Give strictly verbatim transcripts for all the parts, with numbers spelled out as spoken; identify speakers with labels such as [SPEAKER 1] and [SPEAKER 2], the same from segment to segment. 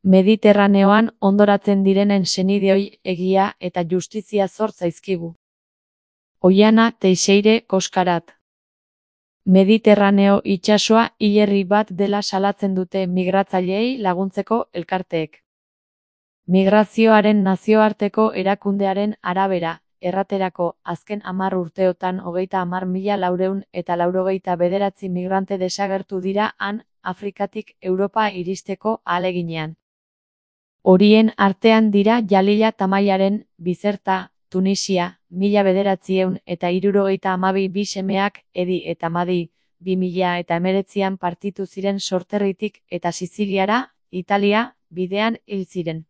[SPEAKER 1] Mediterraneoan hondoratzen direnen senideoi egia eta justizia zor zaizkigu. Oiana Teixeire Koskarat. Mediterraneo itsasoa hilerri bat dela salatzen dute migratzaileei laguntzeko elkarteek. Migrazioaren nazioarteko erakundearen arabera, erraterako azken hamar urteotan hogeita hamar mila laurehun eta laurogeita bederatzi migrante desagertu dira han Afrikatik Europa iristeko ahaleginean. Horien artean dira Jalila Tamaiaren, Bizerta, Tunisia, mila bederatziehun eta hirurogeita hamabi bi semeak, Edi eta Madi, bi mila eta hemeretzian partitu ziren sorterritik eta Siziliara, Italia, bidean hil ziren.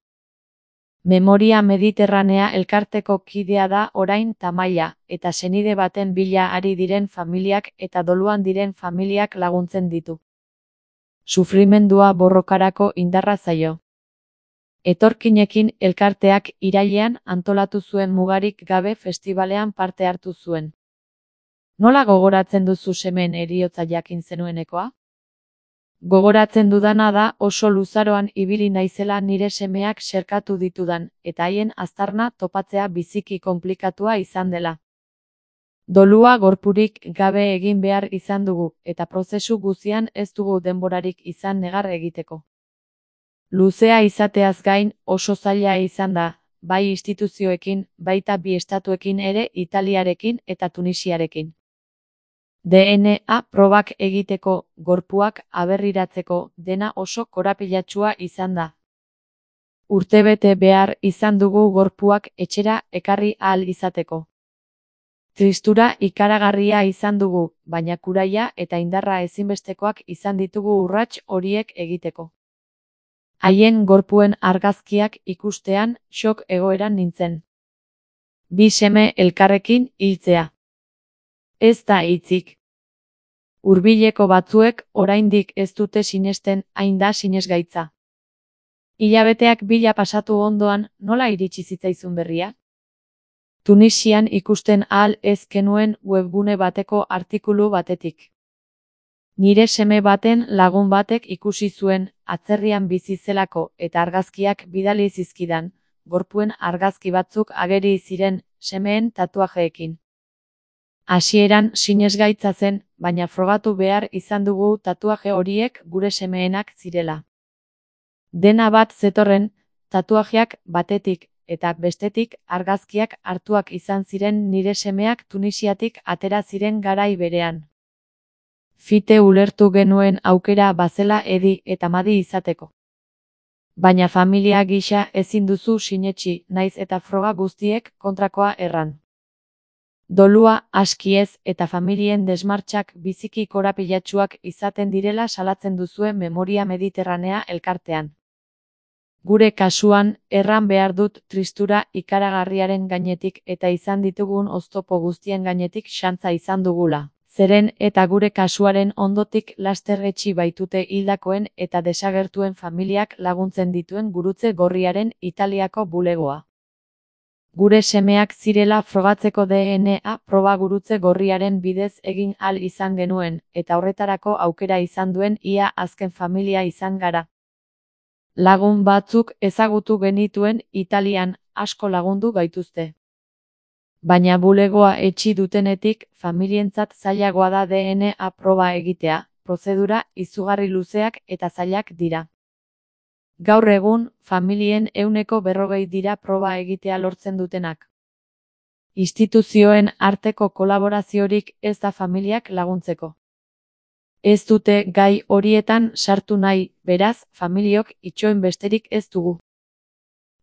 [SPEAKER 1] Memoria Mediterranea elkarteko kidea da orain Tamaia, eta senide baten bila ari diren familiak eta doluan diren familiak laguntzen ditu. Sufrimendua borrokarako indarra zaio. Etorkinekin elkarteak irailean antolatu zuen mugarik gabe festibalean parte hartu zuen. Nola gogoratzen duzu semeen heriotza jakin zenuenekoa? Gogoratzen dudana da oso luzaroan ibili naizela nire semeak xerkatu ditudan, eta haien aztarna topatzea biziki konplikatua izan dela. Dolua gorpurik gabe egin behar izan dugu, eta prozesu guztian ez dugu denborarik izan negar egiteko. Luzea izateaz gain oso zaila izan da, bai instituzioekin, baita bi estatuekin ere Italiarekin eta Tunisiarekin. D N A probak egiteko, gorpuak aberriratzeko, dena oso korapilatsua izan da. Urtebete behar izan dugu gorpuak etxera ekarri ahal izateko. Tristura ikaragarria izan dugu, baina kuraia eta indarra ezinbestekoak izan ditugu urrats horiek egiteko. Haien gorpuen argazkiak ikustean shock egoeran nintzen. Bi seme elkarrekin hiltzea. Ez da hitzik. Hurbileko batzuek oraindik ez dute sinesten hain da sinesgaitza. Hilabeteak bila pasatu ondoan nola iritsi zitzaizun berria? Tunisian ikusten ahal ez genuen webgune bateko artikulu batetik. Nire seme baten lagun batek ikusi zuen, atzerrian bizi zelako eta argazkiak bidali zizkidan, gorpuen argazki batzuk ageri ziren semeen tatuajeekin. Hasieran sinesgaitza zen, baina frogatu behar izan dugu tatuaje horiek gure semeenak zirela. Dena bat zetorren, tatuajeak batetik eta bestetik argazkiak hartuak izan ziren nire semeak Tunisiatik atera ziren garai berean. Fite ulertu genuen aukera bazela Edi eta Madi izateko. Baina familia gisa ezin duzu sinetsi, naiz eta froga guztiek kontrakoa erran. Dolua aski ez eta familien desmartxak biziki korapilatsuak izaten direla salatzen duzue Memoria Mediterranea elkartean. Gure kasuan, erran behar dut tristura ikaragarriaren gainetik eta izan ditugun oztopo guztien gainetik xantza izan dugula. Zeren eta gure kasuaren ondotik laster etxi baitute hildakoen eta desagertuen familiak laguntzen dituen gurutze gorriaren Italiako bulegoa. Gure semeak zirela frogatzeko D N A proba gurutze gorriaren bidez egin ahal izan genuen, eta horretarako aukera izan duen ia azken familia izan gara. Lagun batzuk ezagutu genituen Italian, asko lagundu gaituzte. Baina bulegoa etxi dutenetik, familientzat zailagoa da D N A proba egitea, prozedura izugarri luzeak eta zailak dira. Gaur egun, familien ehuneko berrogei dira proba egitea lortzen dutenak. Instituzioen arteko kolaboraziorik ez da familiak laguntzeko. Ez dute gai horietan sartu nahi, beraz, familiok itxoin besterik ez dugu.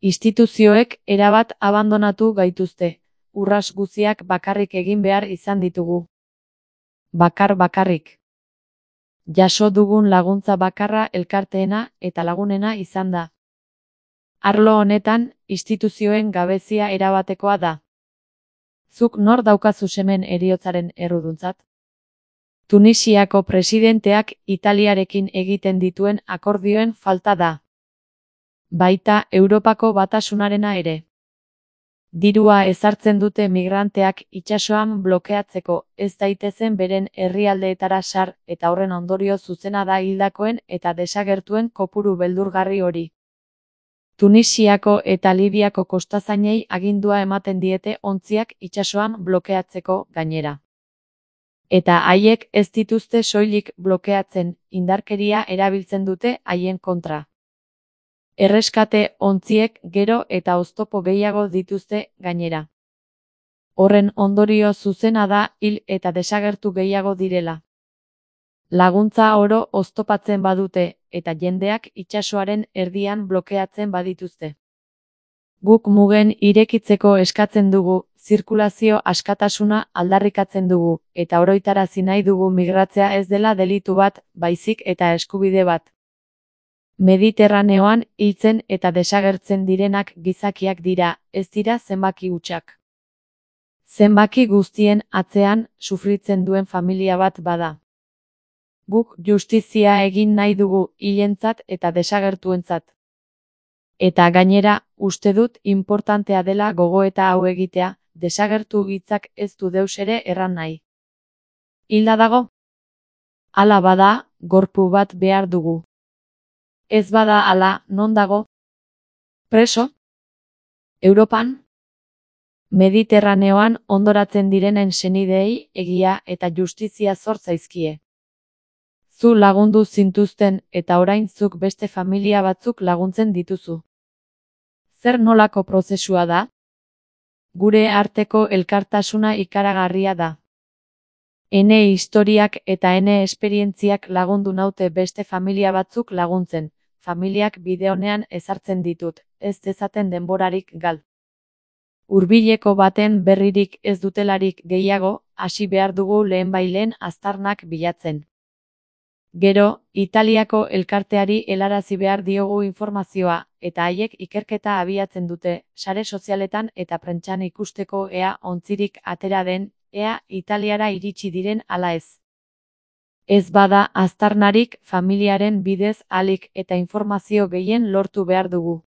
[SPEAKER 1] Instituzioek erabat abandonatu gaituzte. Urras guziak bakarrik egin behar izan ditugu. Bakar bakarrik. Jaso dugun laguntza bakarra elkarteena eta lagunena izan da. Arlo honetan, instituzioen gabezia erabatekoa da. Zuk nor daukazu semen heriotzaren erruduntzat? Tunisiako presidenteak Italiarekin egiten dituen akordioen falta da. Baita Europako Batasunarena ere. Dirua ezartzen dute migranteak itsasoan blokeatzeko, ez daitezen beren herrialdeetara sar, eta horren ondorio zuzena da hildakoen eta desagertuen kopuru beldurgarri hori. Tunisiako eta Libiako kostazainei agindua ematen diete ontziak itsasoan blokeatzeko gainera. Eta haiek ez dituzte soilik blokeatzen, indarkeria erabiltzen dute haien kontra. Erreskate ontziek gero eta oztopo gehiago dituzte gainera. Horren ondorio zuzena da hil eta desagertu gehiago direla. Laguntza oro oztopatzen badute, eta jendeak itsasoaren erdian blokeatzen badituzte. Guk mugen irekitzeko eskatzen dugu, zirkulazio askatasuna aldarrikatzen dugu, eta oroitarazi nahi dugu migratzea ez dela delitu bat, baizik eta eskubide bat. Mediterraneoan hiltzen eta desagertzen direnak gizakiak dira, ez dira zenbaki hutsak. Zenbaki guztien atzean sufritzen duen familia bat bada. Guk justizia egin nahi dugu hilentzat eta desagertuentzat. Eta gainera, uste dut inportantea dela gogoeta hau egitea, desagertu hitzak ez du deus ere erran nahi. Hilda dago? Hala bada, gorpu bat behar dugu. Ez bada hala, non dago? Preso? Europan? Mediterraneoan hondoratzen direnen senideei egia eta justizia zor zaizkie. Zu lagundu zintuzten eta orain zuk beste familia batzuk laguntzen dituzu. Zer nolako prozesua da? Gure arteko elkartasuna ikaragarria da. Ene historiak eta ene esperientziak lagundu naute beste familia batzuk laguntzen, familiak bide onean ezartzen ditut, ez dezaten denborarik gal. Hurbileko baten berririk ez dutelarik gehiago, hasi behar dugu lehenbailen aztarnak bilatzen. Gero, Italiako elkarteari helarazi behar diogu informazioa, eta haiek ikerketa abiatzen dute, sare sozialetan eta prentsan ikusteko ea ontzirik atera den, ea Italiara iritsi diren ala ez. Ez bada aztarnarik familiaren bidez ahalik eta informazio gehien lortu behar dugu.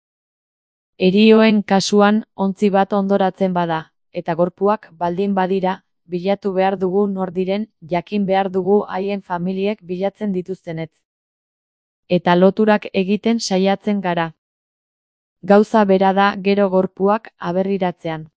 [SPEAKER 1] Herioen kasuan ontzi bat hondoratzen bada, eta gorpuak baldin badira, bilatu behar dugu nor diren, jakin behar dugu haien familiek bilatzen dituztenet. Eta loturak egiten saiatzen gara. Gauza bera da gero gorpuak aberriratzean.